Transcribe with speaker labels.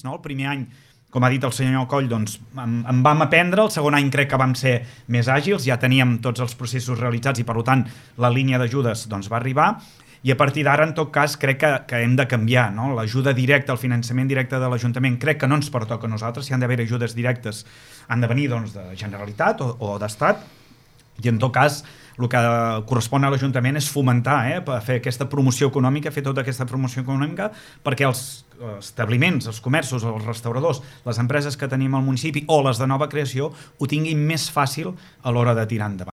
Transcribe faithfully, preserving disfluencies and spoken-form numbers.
Speaker 1: No? El primer any, com ha dit el senyor Coll, doncs, en, en vam aprendre, el segon any crec que vam ser més àgils, ja teníem tots els processos realitzats i per tant la línia d'ajudes doncs, va arribar i a partir d'ara en tot cas crec que, que hem de canviar, no? L'ajuda directa, el finançament directe de l'Ajuntament crec que no ens pertoca a nosaltres, si han d'haver ajudes directes han de venir doncs, de Generalitat o, o d'Estat i en tot cas el que correspon a l'Ajuntament és fomentar, eh, per fer aquesta promoció econòmica, fer tota aquesta promoció econòmica perquè els establiments, els comerços, els restauradors, les empreses que tenim al municipi o les de nova creació ho tinguin més fàcil a l'hora de tirar endavant.